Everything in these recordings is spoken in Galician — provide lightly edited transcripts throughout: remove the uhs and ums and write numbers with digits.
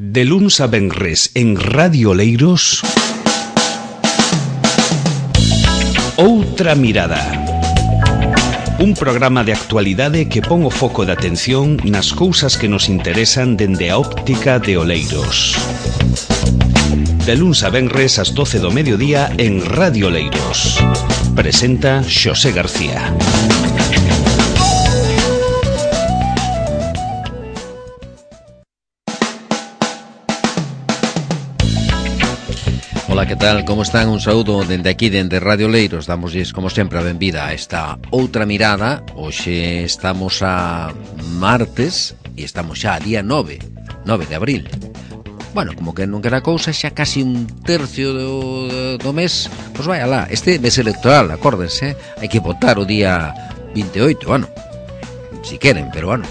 De luns a venres en Radio Oleiros, Outra Mirada. Un programa de actualidade que pon o foco de atención nas cousas que nos interesan dende a óptica de Oleiros. De luns a venres ás 12 do mediodía en Radio Oleiros. Presenta Xosé García. Ola, que tal? Como están? Un saúdo dende aquí, dende Radio Oleiros. Damosles, como sempre, a benvida a esta outra mirada. Hoxe estamos a martes e estamos xa a día 9 de abril. Bueno, como que non queda cousa, xa casi un tercio do mes. Pois vai alá, este mes electoral, acórdense, hai que votar o día 28, bueno, si queren, pero bueno,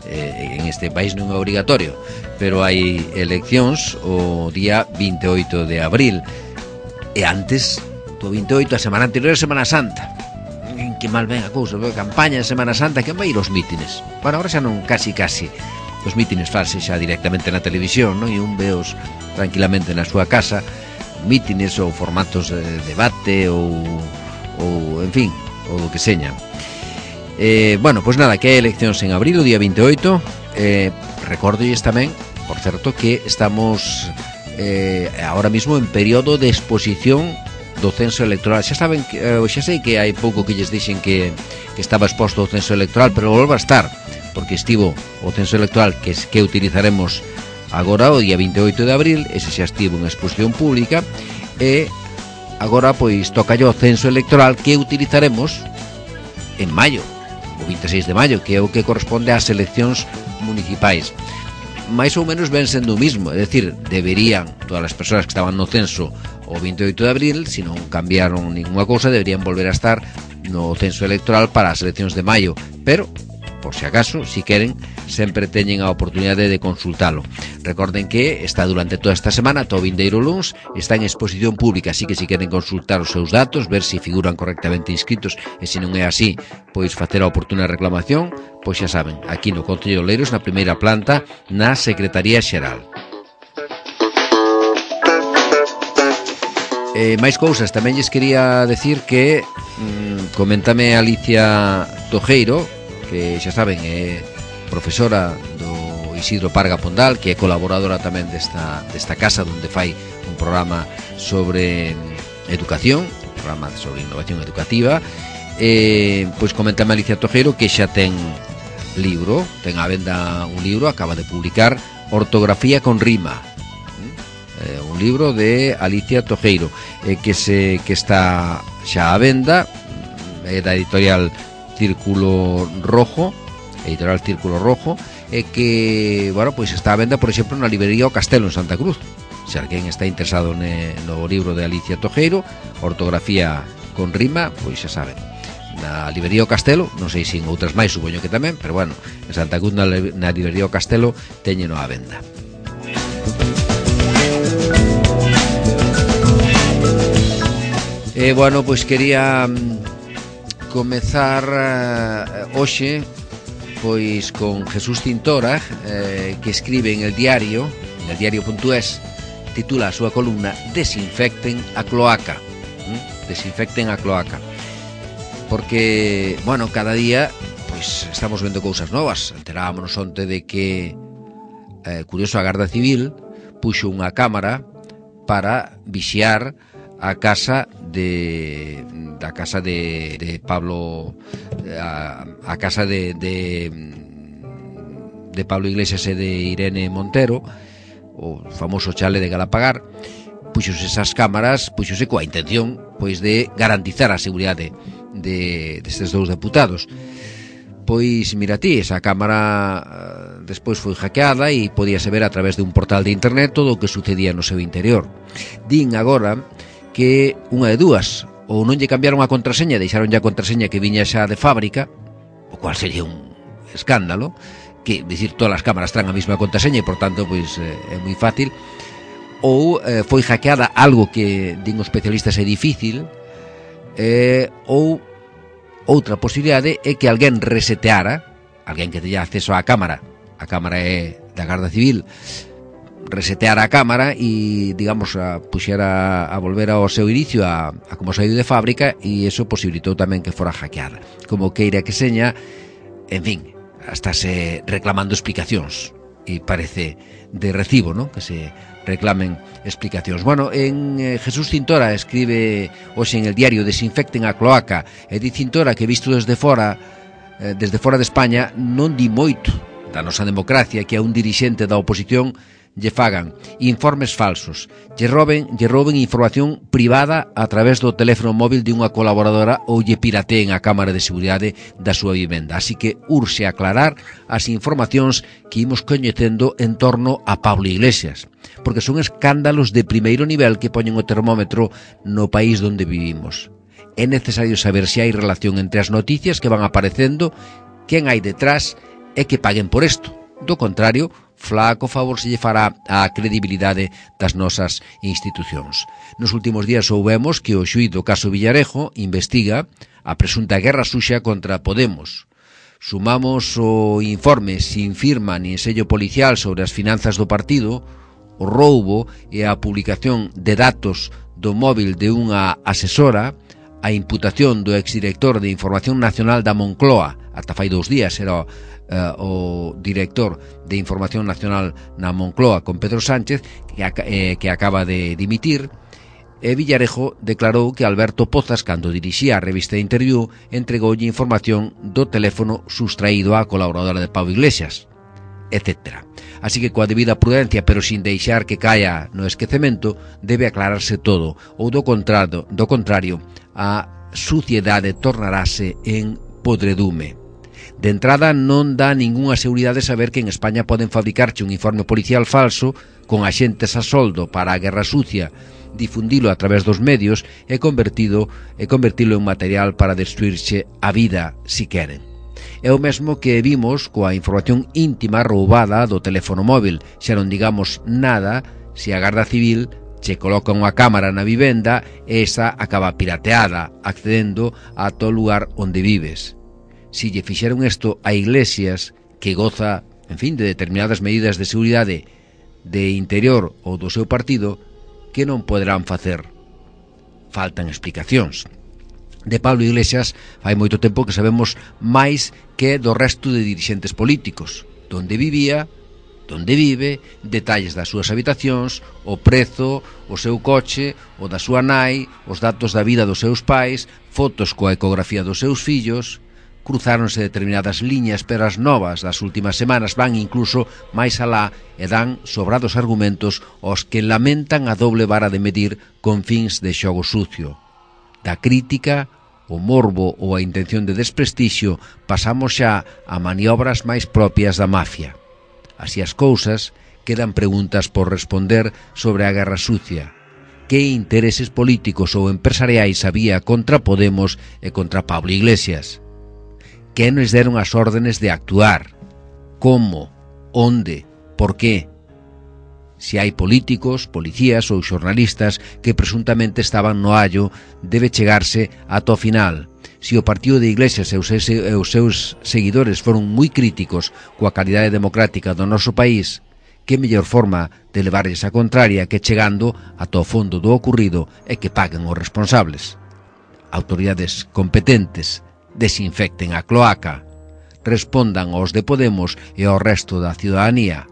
en este país non é obrigatorio, pero hai eleccións o día 28 de abril. E antes do 28, a semana anterior a Semana Santa. Que mal ven a cousa, a campaña de Semana Santa, que vai ir os mítines. Bueno, agora xa non casi. Os mítines farse xa directamente na televisión, non? E un veos tranquilamente na súa casa, mítines ou formatos de debate ou en fin, ou do que seña. Bueno, pois nada, que hai eleccións en abril, o día 28. Recórdolles tamén, por certo, que estamos ahora mismo en período de exposición do censo electoral. Xa saben, xa sei que hai pouco que lles dixen que estaba exposto o censo electoral, pero volva a estar, porque estivo o censo electoral que utilizaremos agora o día 28 de abril. Ese xa estivo en exposición pública, e agora pois toca o censo electoral que utilizaremos en maio, o 26 de maio, que é o que corresponde ás eleccións municipais. Mais ou menos ven sendo o mismo, é dicir, deberían todas as persoas que estaban no censo o 28 de abril, se non cambiaron ninguna cousa, deberían volver a estar no censo electoral para as eleccións de maio, pero por si acaso, si queren, sempre teñen a oportunidade de consultalo. Recorden que está durante toda esta semana, todo vindeiro luns, está en exposición pública, así que si queren consultar os seus datos, ver se figuran correctamente inscritos, e se non é así, pois facer a oportuna reclamación, pois xa saben, aquí no Concello de Oleiros, na primeira planta, na Secretaría Xeral. Máis cousas, tamén lles quería decir que coméntame Alicia Tojeiro, que xa saben é profesora do Isidro Parga Pondal, que é colaboradora tamén desta casa, onde fai un programa sobre educación, un programa sobre innovación educativa. Pois comentame Alicia Tojeiro que xa ten libro, ten á venda un libro, acaba de publicar Ortografía con Rima, un libro de Alicia Tojeiro, que está xa á venda, é da editorial Círculo Rojo, e que, bueno, pois está a venda, por exemplo, na librería O Castelo en Santa Cruz. Se alguén está interesado no libro de Alicia Tojeiro, Ortografía con Rima, pois xa saben, na librería O Castelo, non sei se en outras máis, supoño que tamén, pero bueno, en Santa Cruz, na librería O Castelo, teñeno á venda. Bueno, pois quería comezar hoxe pois con Jesús Cintora, que escribe en el diario.es, titula a súa columna Desinfecten a cloaca. Desinfecten a cloaca. Porque, bueno, cada día pois estamos vendo cousas novas. Enterámonos onte de que curioso, a Garda Civil puxo unha cámara para vixiar a casa de Pablo, a casa de Pablo Iglesias e de Irene Montero, o famoso chale de Galapagar. Puxose esas cámaras, puxose coa intención pois de garantizar a seguridade destes dous deputados. Pois mira ti, esa cámara despois foi hackeada e podíase ver a través de un portal de internet todo o que sucedía no seu interior. Din agora que unha de dúas, ou non lle cambiaron a contraseña, deixaron a contraseña que viña xa de fábrica, o cual sería un escándalo, que dicir, todas as cámaras traen a mesma contraseña e por tanto pois é moi fácil, ou foi hackeada, algo que din os especialistas é difícil, ou outra posibilidade é que alguén reseteara, alguén que teña acceso á cámara, a cámara é da Garda Civil, reseteara a cámara e, digamos, a puxera a volver ao seu inicio a como saiu de fábrica, e eso posibilitou tamén que fora hackeada. Como queira que seña, en fin, hasta se reclamando explicacións, e parece de recibo, ¿no?, que se reclamen explicacións. Bueno, en Jesús Cintora escribe hoxe en el diario: desinfecten a cloaca, e di Cintora que visto desde fora de España non di moito da nosa democracia que a un dirixente da oposición lle fagan informes falsos, lle roben información privada a través do teléfono móvil de unha colaboradora ou lle pirateen a cámara de seguridade da súa vivenda. Así que urxe aclarar as informacións que imos coñecendo en torno a Pablo Iglesias, porque son escándalos de primeiro nivel que poñen o termómetro no país donde vivimos. É necesario saber se hai relación entre as noticias que van aparecendo, quen hai detrás e que paguen por isto. Do contrario, flaco favor se lle fará á credibilidade das nosas institucións. Nos últimos días soubemos que o xuíz do caso Villarejo investiga a presunta guerra suxa contra Podemos. Sumamos o informe sin firma nin sello policial sobre as finanzas do partido, o roubo e a publicación de datos do móvil de unha asesora, a imputación do exdirector de Información Nacional da Moncloa, ata fai 2 días era o director de Información Nacional na Moncloa con Pedro Sánchez, que acaba de dimitir. E Villarejo declarou que Alberto Pozas, cando dirixía a revista Interview, entregoulle información do teléfono sustraído á colaboradora de Pablo Iglesias, etc. Así que coa debida prudencia, pero sin deixar que caia no esquecemento, debe aclararse todo, ou do contrario, a suciedade tornarase en podredume. De entrada, non dá ningunha seguridade saber que en España poden fabricarche un informe policial falso con axentes a soldo para a guerra sucia, difundilo a través dos medios e convertilo en material para destruirche a vida, si queren. É o mesmo que vimos coa información íntima roubada do teléfono móvil. Xa non digamos nada se a Garda Civil che coloca unha cámara na vivenda e esa acaba pirateada, accedendo a todo lugar onde vives. Si lle fixeron isto a Iglesias, que goza, en fin, de determinadas medidas de seguridade de interior ou do seu partido, que non poderán facer? Faltan explicacións. De Pablo Iglesias fai moito tempo que sabemos máis que do resto de dirixentes políticos: onde vivía, onde vive, detalles das súas habitacións, o prezo, o seu coche, o da súa nai, os datos da vida dos seus pais, fotos coa ecografía dos seus fillos. Cruzáronse determinadas liñas, pero as novas das últimas semanas van incluso máis alá e dan sobrados argumentos aos que lamentan a doble vara de medir con fins de xogo sucio. Da crítica, o morbo ou a intención de desprestixio pasamos xa a maniobras máis propias da mafia. Así as cousas, quedan preguntas por responder sobre a guerra sucia. Que intereses políticos ou empresariais había contra Podemos e contra Pablo Iglesias? Que nos deron as órdenes de actuar? Como? Onde? Por qué? Se hai políticos, policías ou xornalistas que presuntamente estaban no allo, debe chegarse ata o final. Se o partido de Iglesias e os seus seguidores foron moi críticos coa calidade democrática do noso país, que mellor forma de levarlles a contraria que chegando ata o fondo do ocurrido e que paguen os responsables. Autoridades competentes, desinfecten a cloaca, respondan aos de Podemos e ao resto da ciudadanía.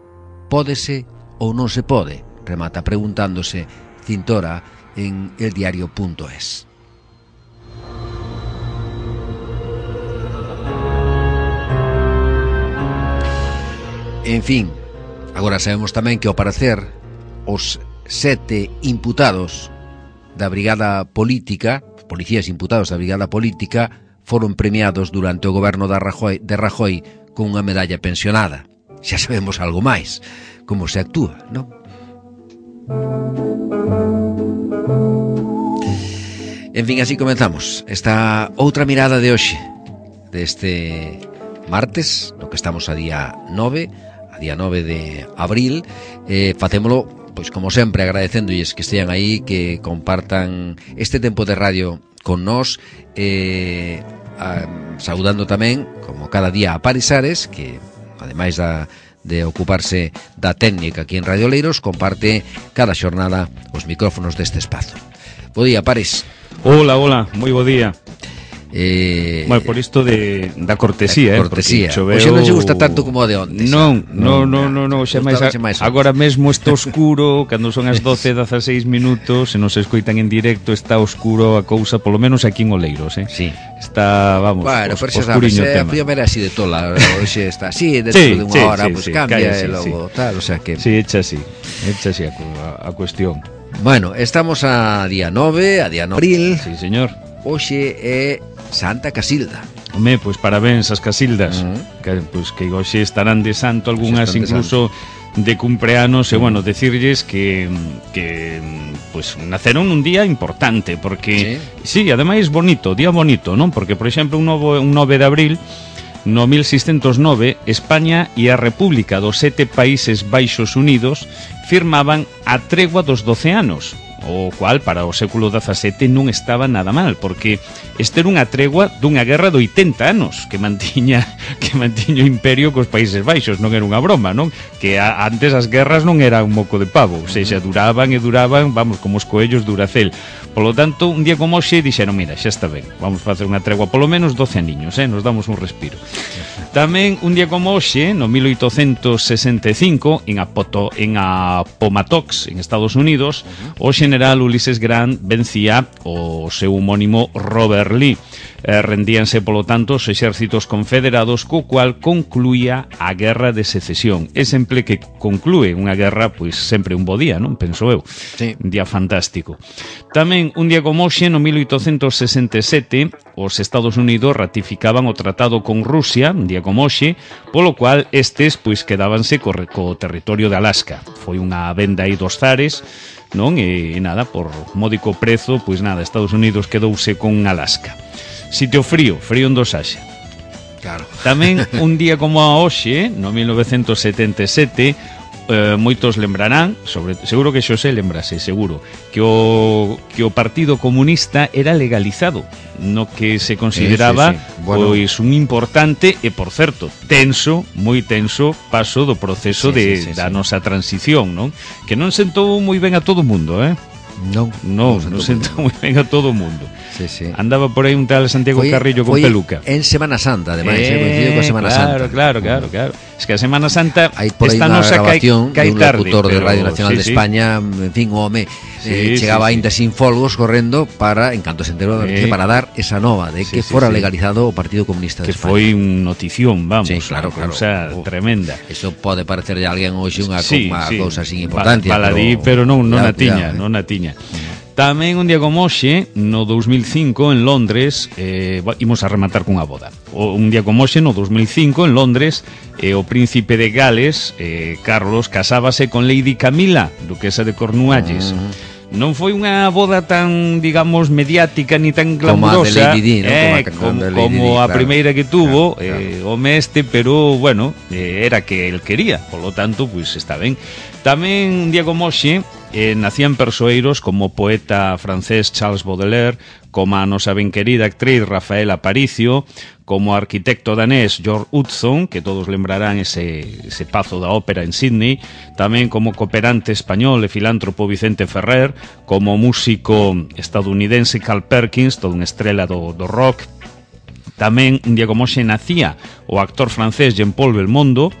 Pódese ou non se pode? Remata preguntándose Cintora en eldiario.es. En fin, agora sabemos tamén que ao parecer os 7 imputados da Brigada Política, policías imputados da Brigada Política, foron premiados durante o goberno de Rajoy con unha medalla pensionada. Xa sabemos algo máis, como se actúa, non? En fin, así comenzamos esta outra mirada de hoxe, deste martes, no que estamos a día 9 de abril. Facémolo, pois como sempre, agradecéndolles que estean aí, que compartan este tempo de radio con nós, saudando tamén, como cada día, a Parisares, que ademais de ocuparse da técnica aquí en Radio Oleiros, comparte cada xornada os micrófonos deste espazo. Bo día, Pares. Hola, moi bo día. Bueno, por isto da cortesía, cortesía. Oxe non se gusta tanto como a de ontes. Non, xa máis agora mesmo está oscuro, cando son as 12:16 minutos, se nos escoitan en directo, está oscuro a cousa, polo menos aquí en Oleiros, Sí. Está, vamos, bueno, pero xa sabes, a primeira así de tola, hoxe está así, dentro de unha hora, pues cambia e logo tal, o sea que... Sí, echa así a cuestión. Bueno, estamos a día 9 de abril. Sí, señor. Hoxe é Santa Casilda. Home, pois parabéns ás Casildas, que hoxe estarán de santo, algunhas incluso de cumpleanos, e bueno, decirlles que pues naceron un día importante, porque sí, ademais bonito, día bonito, non? Porque, por exemplo, un 9 de abril no 1609, España e a República dos 7 Países Baixos Unidos firmaban a tregua dos 12 anos, o cual para o século XVII non estaba nada mal, porque este era unha tregua dunha guerra de 80 anos que mantiña o imperio cos Países Baixos, non era unha broma, non? Que antes as guerras non era un moco de pavo, ou seja, duraban, vamos, como os coellos Duracell. Polo tanto, un día como hoxe dixeron, mira, xa está ben, vamos facer unha tregua polo menos 12 aniños, nos damos un respiro. Tamén un día como hoxe, no 1865, en Appomattox, en Estados Unidos, o general Ulysses Grant vencía o seu homónimo Robert Lee. Rendíanse, polo tanto, os exércitos confederados, co cual concluía a Guerra de Secesión. É sempre que conclúe unha guerra, pois sempre un bo día, non? Penso eu. Sí. Un día fantástico. Tamén un día como hoxe, no 1867, os Estados Unidos ratificaban o tratado con Rusia, un día como hoxe, polo cual estes pois quedábanse co territorio de Alaska. Foi unha venda aí dos zares, non? E nada, por módico prezo, pois nada, Estados Unidos quedouse con Alaska. Sitio frío en Dosaxa. Claro. Tamén un día como a hoxe, no 1977, moitos lembrarán, seguro que Xosé lembrase, seguro, que o Partido Comunista era legalizado, no que se consideraba Bueno, pois un importante e, por certo, moi tenso paso do proceso da nosa transición, non? Que non sentou moi ben a todo o mundo, Non sentou moi ben a todo o mundo. Sí. Andaba por aí un tal Santiago Carrillo con peluca. En Semana Santa, ademais, coincidiu coa Semana Santa. Claro. Es que a Semana Santa esta nosa grabación dun locutor de Radio Nacional de España, en fin, o home chegaba aínda sin folgos correndo para, en canto se enterou, para dar esa nova de que fora legalizado o Partido Comunista de España. Que foi un notición, vamos, claro. Cousa tremenda. Eso pode parecerlle a alguén hoxe unha cousa sin importancia, baladí, pero non a tiña. Tamén un día como hoxe, no 2005, en Londres, imos a rematar cunha boda. Un día como hoxe, no 2005, en Londres, o príncipe de Gales, Carlos, casábase con Lady Camila, duquesa de Cornualles. Non foi unha boda tan, digamos, mediática ni tan glamurosa como a primeira que tuvo o mestre, pero, bueno, era que el quería, polo tanto, pois está ben. Tamén un día como hoxe nacían persoeiros como o poeta francés Charles Baudelaire, como a nosa ben querida actriz Rafael Aparicio, como o arquitecto danés George Hudson, que todos lembrarán ese pazo da ópera en Sydney, tamén como cooperante español e filántropo Vicente Ferrer, como o músico estadounidense Carl Perkins, toda unha estrela do rock. Tamén un día como hoxe nacía o actor francés Jean-Paul Belmondo.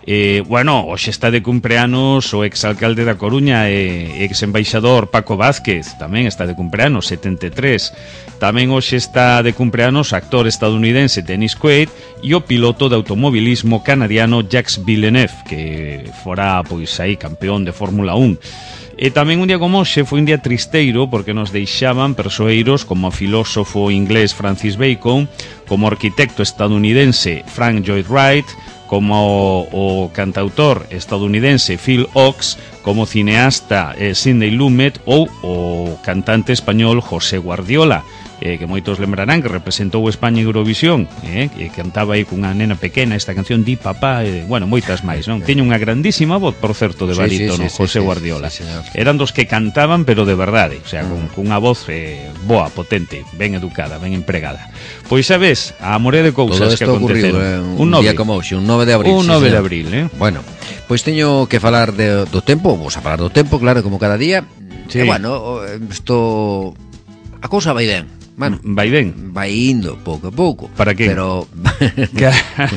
Hoxe está de cumpleanos o exalcalde da Coruña e ex-embaixador Paco Vázquez, tamén está de cumpleanos, 73. Tamén hoxe está de cumpleanos o actor estadounidense Dennis Quaid e o piloto de automobilismo canadiano Jacques Villeneuve, que fora, pois, aí campeón de Fórmula 1. E tamén un día como hoxe foi un día tristeiro porque nos deixaban persoeiros como o filósofo inglés Francis Bacon, como o arquitecto estadounidense Frank Lloyd Wright, como o cantautor estadounidense Phil Ochs, como cineasta Sidney Lumet ou o cantante español José Guardiola. que moitos lembrarán que representou España en Eurovisión, que cantaba aí cunha nena pequena esta canción Di Papá, bueno, moitas máis, non? Tiña unha grandísima voz, por certo, de barítono, José Guardiola. Eran dos que cantaban, pero de verdade, o sea, cunha voz boa, potente, ben educada, ben empregada. Pois sabes, a morea de cousas que aconteceron. Un día como hoxe, un 9 de abril. Un 9 de abril, Bueno, pois teño que falar do tempo, vamos a falar do tempo, claro, como cada día. Sí. Bueno, isto a cousa vai ben. Bueno, vai ben. Vai indo pouco a pouco. Para que? Pero claro,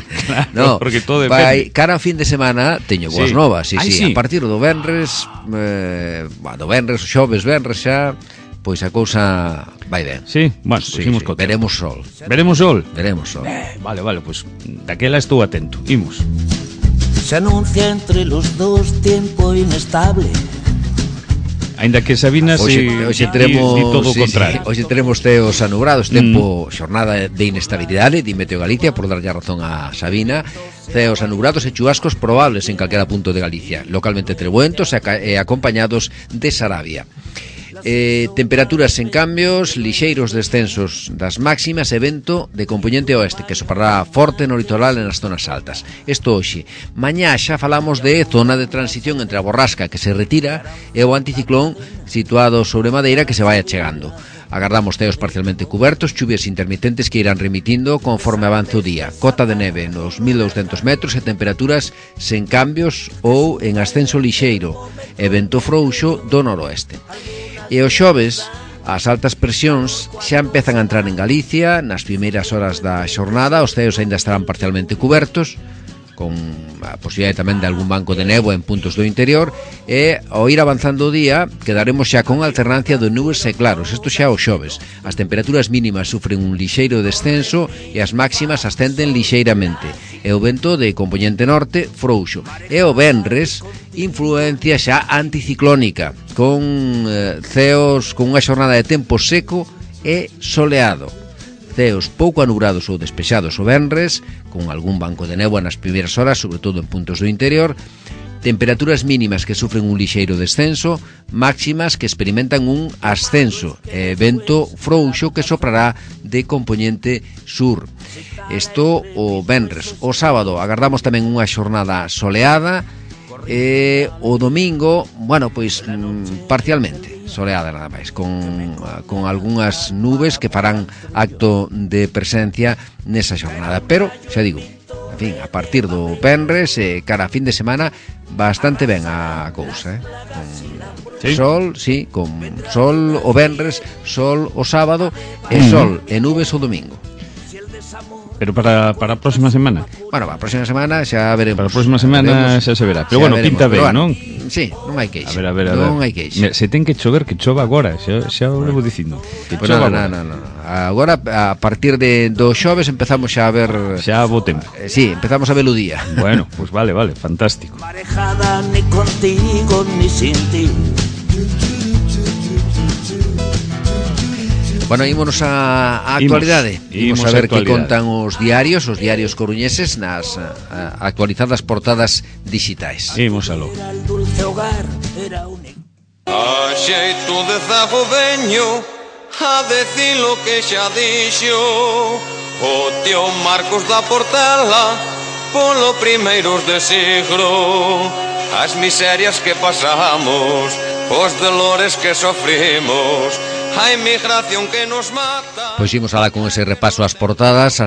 no, porque todo vai, cara a fin de semana teño boas novas, sí. Sí. A partir do venres, do venres, xoves, venres xa, pois a cousa vai ben. Sí, bueno, sí, veremos sol. Veremos sol. Veremos sol. Vale, pois daquela estou atento. Imos. Se anuncia entre los dos tiempo inestable. Ainda que Sabina hoxe teremos di todo o contrario. Hoxe teremos teos anubrados, tempo xornada de inestabilidade, di Meteo Galicia, por darlle a razón a Sabina. Ceos anubrados e chubascos probables en calquera punto de Galicia, localmente trebuentos e acompañados de sarabia. Temperaturas en cambios, lixeiros descensos das máximas e vento de compoñente oeste que sopará forte no litoral e nas zonas altas. Isto hoxe. Mañá xa falamos de zona de transición entre a borrasca que se retira e o anticiclón situado sobre Madeira que se vai achegando. Agardamos ceos parcialmente cubertos, chuvias intermitentes que irán remitindo conforme avance o día. Cota de neve nos 1200 metros e temperaturas sen cambios ou en ascenso lixeiro e vento frouxo do noroeste. E os xoves, as altas presións xa empezan a entrar en Galicia. Nas primeiras horas da xornada os ceos aínda estarán parcialmente cubertos, con a posibilidade tamén de algún banco de néboa en puntos do interior, e ao ir avanzando o día quedaremos xa con alternancia de nubes e claros. Isto xa os xoves. As temperaturas mínimas sufren un lixeiro descenso e as máximas ascenden lixeiramente, e o vento de compoñente norte frouxo. E o venres, influencia xa anticiclónica, con ceos, con unha xornada de tempo seco e soleado. Ceos pouco anubrados ou despexados o venres, con algún banco de néboa nas primeiras horas, sobre todo en puntos do interior. Temperaturas mínimas que sufren un lixeiro descenso, máximas que experimentan un ascenso, vento frouxo que soprará de compoñente sur. Isto o venres. O sábado agardamos tamén unha xornada soleada, e o domingo, bueno, pois parcialmente soleada nada máis, con algunhas nubes que farán acto de presencia nesa xornada, pero, xa digo, en fin, a partir do venres cara a fin de semana bastante ben a cousa, con ¿sí? Sol, sí, con sol o venres, sol o sábado e sol e nubes o domingo. Pero para a próxima semana? Bueno, para a próxima semana xa veremos. Para a próxima semana xa se verá. Pero bueno, veremos, pinta ben, non? Sí, non hai queixa. A ver. Non hai queixa. Se ten que chover, que chova agora, xa o levo dicindo. Que chova agora. Non. Agora, a partir do xoves empezamos xa a ver... Xa bo tempo. Sí, empezamos a ver o día. Bueno, pues vale, fantástico. Marejada ni contigo ni sin ti. Bueno, ímonos a actualidade. Imos a ver que contan os diarios coruñeses nas actualizadas portadas digitais. Imos aló. A xeito de zago veño a decir lo que xa dixo o tío Marcos da Portela polo primeiros de siglo. As miserias que pasamos, os dolores que sofrimos, a emigración que nos mata. Pois imos alá con ese repaso ás portadas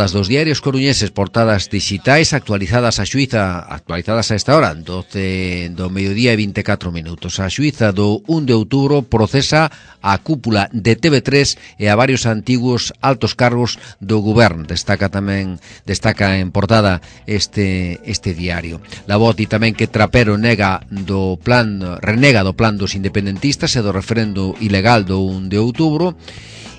dos diarios coruñeses, portadas digitais actualizadas a xuíza, actualizadas a esta hora, 12 do mediodía e 24 minutos. A xuíza do 1 de outubro procesa a cúpula de TV3 e a varios antigos altos cargos do goberno. Destaca en portada este diario. La Voz di tamén que Trapero renega do plan dos independentistas e do referendo ilegal do 1 de outubro.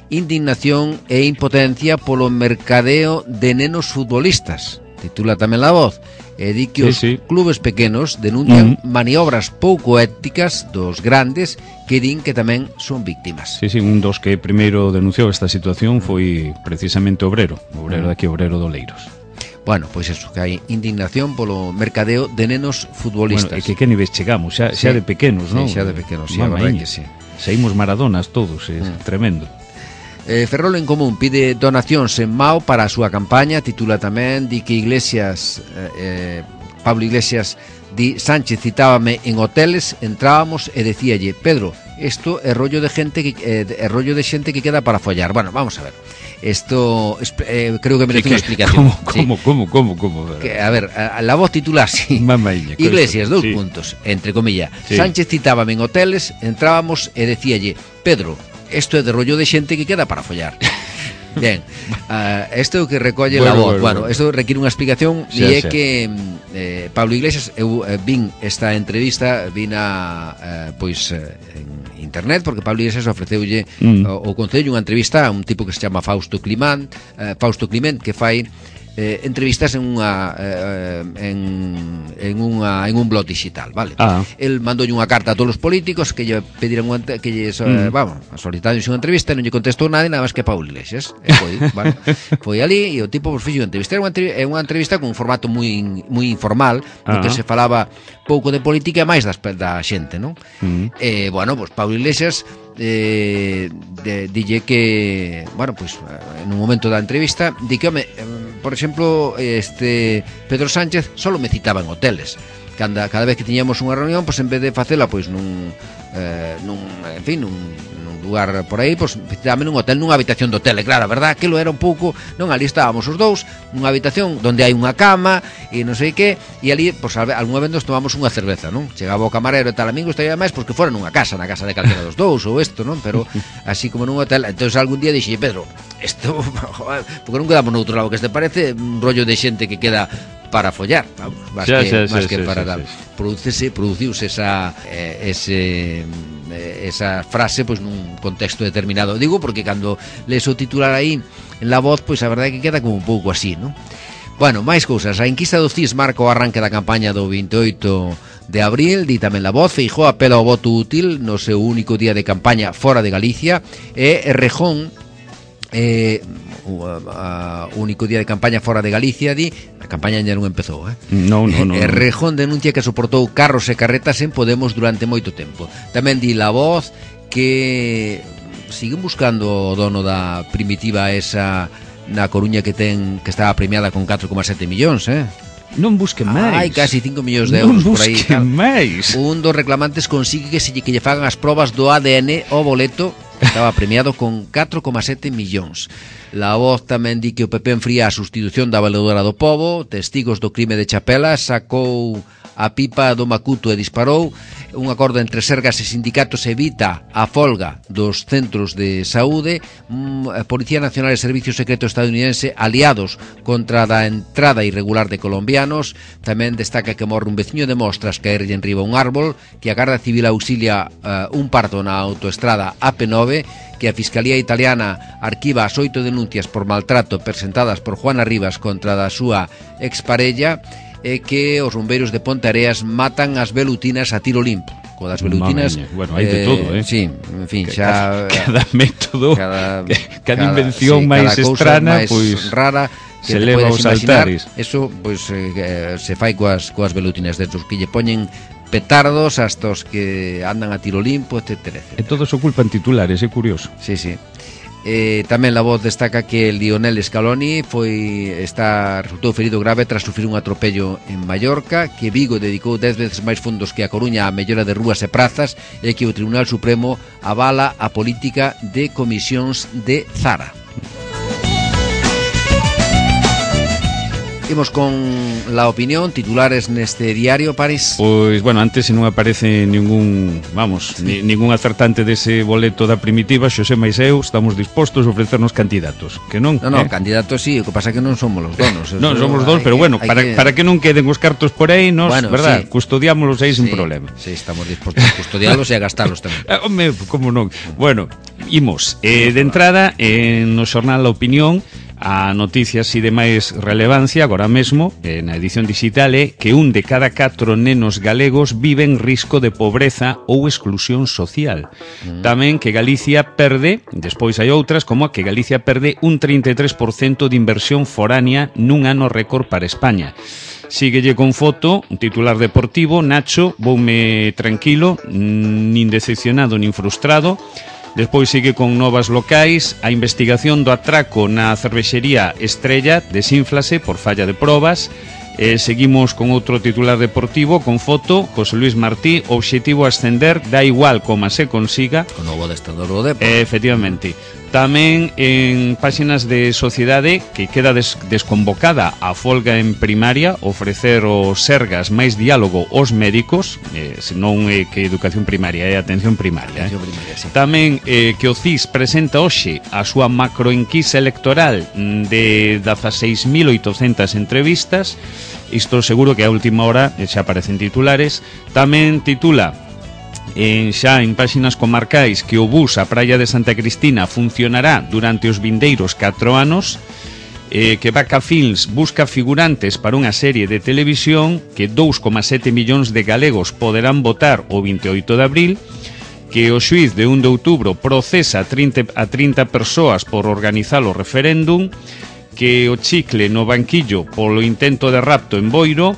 Indignación e impotencia polo mercadeo de nenos futbolistas, titula tamén La Voz, e di que os clubes pequenos denuncian maniobras pouco éticas dos grandes que din que tamén son víctimas. Sí, un dos que primeiro denunciou esta situación foi precisamente Obrero daqui, Obrero do Leiros. Bueno, pois eso, que hai indignación polo mercadeo de nenos futbolistas. Bueno, e que niveis chegamos, xa de pequenos, non? Xa de pequenos, sí, a verdade que sí. Saímos Maradonas todos, tremendo. Ferrol en Común pide donacións en Mao para a súa campaña. Titula tamén, di que Pablo Iglesias di: Sánchez citábame en hoteles, entrábamos e decíalle: Pedro, isto é rollo de xente que queda para follar. Bueno, vamos a ver. Esto creo que merece unha explicación. ¿Cómo? Que, a ver, la voz titula así: Mamaña, Iglesias, puntos, entre comillas. Sí. Sánchez citábame en hoteles, entrábamos e decíalle: Pedro, isto é de rollo de xente que queda para follar. Bien, isto é o que recolle la voz. Bueno, isto requiere unha explicación. E é que Pablo Iglesias, eu vin esta entrevista, pois en internet, porque Pablo Iglesias ofreceulle o Concello unha entrevista a un tipo que se chama Fausto Clement, que fai entrevistas en un blog digital, vale? El mandoulle unha carta a todos os políticos que lle pediran solicitaron unha entrevista, e non lle contestou nada máis que Pablo Iglesias. Foi ali e o tipo fixo unha entrevista. Era unha entrevista con un formato moi informal, no que se falaba pouco de política e máis da xente, non? E, bueno, pues Pablo Iglesias dille que, bueno, pues en un momento da entrevista di que, por exemplo, Pedro Sánchez solo me citaba en hoteles. Cada vez que tiñamos unha reunión, pues en vez de facela pois nun lugar por aí, pois citábame nun hotel, nunha habitación de hotel. E claro, a verdad que lo era un pouco, non, ali estábamos os dous nunha habitación onde hai unha cama e non sei que, e ali, pois algunha vez nos tomamos unha cerveza, non? Chegaba o camarero e tal, amigo, estaría máis porque fora nunha casa, na casa de calquera dos dous ou isto, non? Pero así como nun hotel. Entonces algún día dixi: Pedro, isto, porque non quedamos noutro lado, que este parece un rollo de xente que queda para follar, vamos, más que para tal. Produciuse esa frase pois nun contexto determinado. Digo porque cando lees o titular aí en La Voz, pois a verdade é que queda como un pouco así, non? Bueno, máis cousas. A enquisa do CIS marca o arranque da campaña do 28 de abril. Di tamén La Voz: Feijóo apela ao voto útil no seu único día de campaña fora de Galicia. E Errejón, único día de campaña fora de Galicia, di, a campaña ainda non empezou, No. Errejón denuncia que soportou carros e carretas en Podemos durante moito tempo. Tamén di La Voz que siguen buscando o dono da Primitiva esa na Coruña que estaba premiada con 4,7 millóns, Non busquen máis. Hai casi 5 millóns de euros por aí. Non busquen máis. Un dos reclamantes consigue que lle fagan as probas do ADN ao boleto. Estaba premiado con 4,7 millóns. La Voz tamén di que o PP enfría a sustitución da valedora do Pobo. Testigos do crime de Chapela sacou a pipa do Macuto e disparou. Un acordo entre Sergas e sindicatos evita a folga dos centros de saúde. Policía Nacional e Servicio Secreto estadounidense aliados contra a entrada irregular de colombianos. Tamén destaca que morre un veciño de Mostras caerlle enriba un árbol, que a Garda Civil auxilia un parto na autoestrada AP9, que a Fiscalía Italiana arquiva as 8 denuncias por maltrato presentadas por Juana Rivas contra da súa exparella, e que os bombeiros de Ponteareas matan as velutinas a tiro limpo. Co das velutinas, bueno, hai de todo, sí, en fin, xa cada método, cada invención máis estrana, pois rara, que se leva aos altares. Eso, pois se fai coas velutinas destos que lle poñen petardos hasta os que andan a tiro limpo, etcétera. E todos oculpan titulares, é curioso. Sí. Tamén La Voz destaca que el Lionel Scaloni resultou ferido grave tras sufrir un atropello en Mallorca, que Vigo dedicou 10 veces máis fondos que a Coruña á mellora de rúas e prazas, e que o Tribunal Supremo avala a política de comisións de Zara. Imos con la opinión, titulares neste diario, París. Pois, bueno, antes se non aparece ningún acertante dese boleto da Primitiva, Xosé máis eu estamos dispostos a ofrecernos candidatos, que non? No, candidatos sí, o que pasa é que non somos los donos. Non somos dos, pero bueno, para que non queden os cartos por aí, verdad, sí, custodiámolos aí sin problema. Sí, estamos dispostos a custodiálos e a gastalos tamén. Home, como non? Bueno, imos, de entrada, no xornal La Opinión, a noticia así de máis relevancia agora mesmo na edición digital é que 1 de cada 4 nenos galegos vive en risco de pobreza ou exclusión social. Tamén que Galicia perde, despois hai outras, como que Galicia perde un 33% de inversión foránea nun ano récord para España. Síguelle con foto, un titular deportivo: Nacho, voume tranquilo, nin decepcionado nin frustrado. Despois sigue con novas locais. A investigación do atraco na cervexería Estrella desínflase por falla de probas. Seguimos con outro titular deportivo con foto, José Luis Martí, obxectivo ascender, da igual como se consiga. O novo adestrador do Depor. Efectivamente. Tamén en páxinas de Sociedade, que queda desconvocada a folga en primaria, ofrecer os Sergas máis diálogo aos médicos, senón que educación primaria, atención primaria. Atención primaria, sí. Tamén que o CIS presenta hoxe a súa macroenquisa electoral de 16.800 entrevistas. Isto seguro que a última hora xa aparecen titulares. Tamén titula xa en páxinas comarcais que o bus á Praia de Santa Cristina funcionará durante os vindeiros 4 anos, que Vaca Films busca figurantes para unha serie de televisión, que 2,7 millóns de galegos poderán votar o 28 de abril, que o xuiz de 1 de outubro procesa a 30 persoas por organizar o referéndum, que o chicle no banquillo polo intento de rapto en Boiro,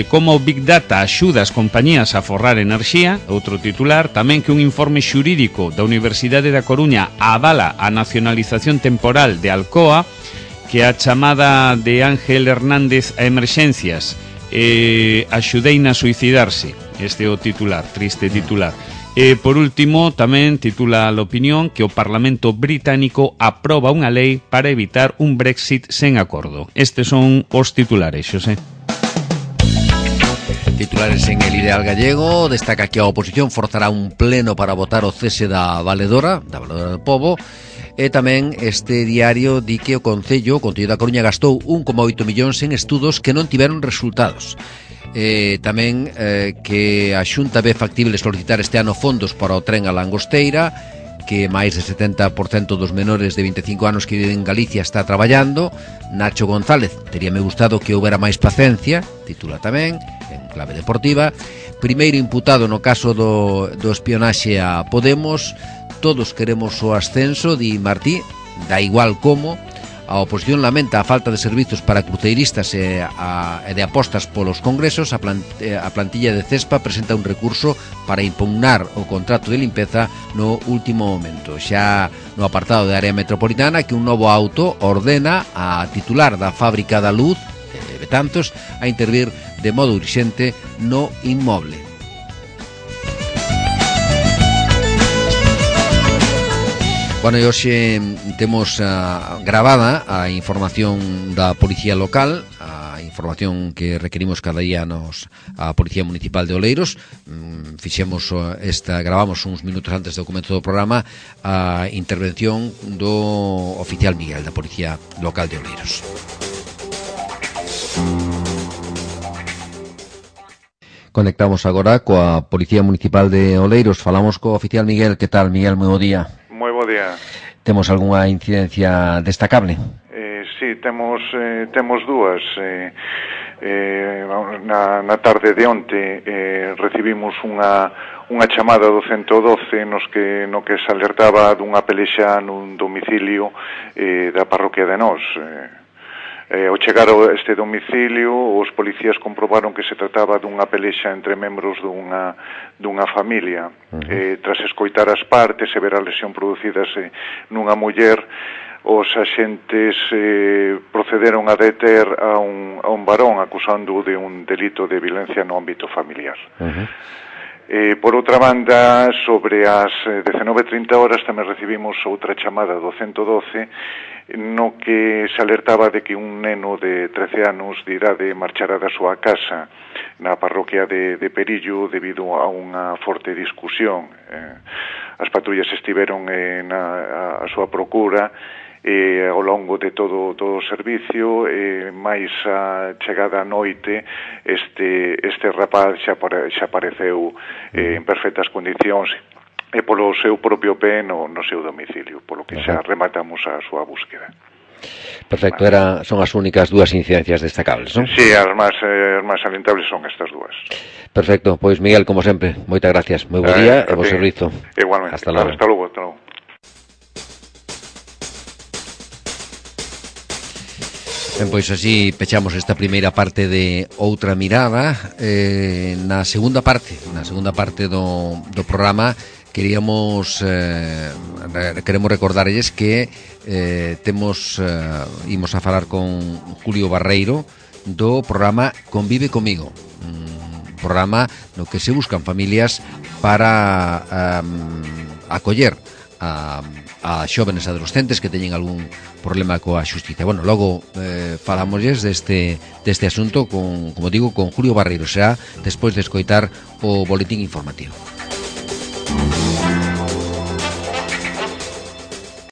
como o Big Data axuda as compañías a forrar enerxía, outro titular. Tamén que un informe xurídico da Universidade da Coruña avala a nacionalización temporal de Alcoa, que a chamada de Ángel Hernández a emerxencias axudeina a suicidarse. Este é o titular, triste titular. Por último, tamén titula a opinión que o Parlamento británico aproba unha lei para evitar un Brexit sen acordo. Estes son os titulares, Xosé. Titulares en El Ideal Gallego. Destaca que a oposición forzará un pleno para votar o cese da Valedora do Pobo. E tamén este diario di que o Concello da Coruña gastou 1,8 millóns en estudos que non tiveron resultados. Tamén que a Xunta ve factible solicitar este ano fondos para o tren a Langosteira, que máis de 70% dos menores de 25 anos que viven en Galicia está traballando. Nacho González, teríame gustado que houbera máis paciencia, titula tamén en clave deportiva. Primeiro imputado no caso do espionaxe a Podemos. Todos queremos o ascenso, di Martí, da igual como. A oposición lamenta a falta de servizos para cruceiristas e de apostas polos congresos. A plantilla de CESPA presenta un recurso para impugnar o contrato de limpeza no último momento. Xa no apartado de área metropolitana, que un novo auto ordena a titular da fábrica da luz, Betanzos, a intervir de modo urxente no inmoble. Bueno, e hoxe temos gravada a información da Policía Local, a información que requerimos cada día a Policía Municipal de Oleiros. Gravamos uns minutos antes do comezo do programa a intervención do oficial Miguel da Policía Local de Oleiros. Conectamos agora coa Policía Municipal de Oleiros. Falamos co oficial Miguel. Que tal, Miguel? Moi bo día. Moi bo día. Temos algunha incidencia destacable? Sí, temos dúas. Na tarde de onte recibimos unha chamada do 112 no que se alertaba dunha pelexa nun domicilio da parroquia de Nós. Ao chegar a este domicilio, os policías comprobaron que se trataba dunha pelexa entre membros dunha familia. Tras escoitar as partes e ver a lesión producidas nunha muller, os axentes procederon a deter a un varón acusando de un delito de violencia no ámbito familiar. Por outra banda, sobre as 19:30 horas tamén recibimos outra chamada do 112 no que se alertaba de que un neno de 13 anos de idade marchara da súa casa na parroquia de Perillo debido a unha forte discusión. As patrullas estiveron a súa procura ao longo de todo o servicio, máis a chegada a noite este rapaz xa apareceu en perfectas condicións e polo seu propio pé no seu domicilio, polo que xa rematamos a súa búsqueda. Perfecto, son as únicas dúas incidencias destacables, non? Sí, as máis salientables son estas dúas. Perfecto, pois Miguel, como sempre, moitas gracias, moi bo día e bo servizo. Igualmente, hasta logo. Ben, pois así pechamos esta primeira parte de Outra Mirada. Na segunda parte do programa queremos recordarlles que imos a falar con Julio Barreiro do programa Convive Comigo, un programa no que se buscan familias para acoller a xóvenes adolescentes que teñen algún problema coa xustiza. Bueno, logo falámoslles deste asunto con, como digo, con Julio Barreiro, será despois de escoitar o boletín informativo.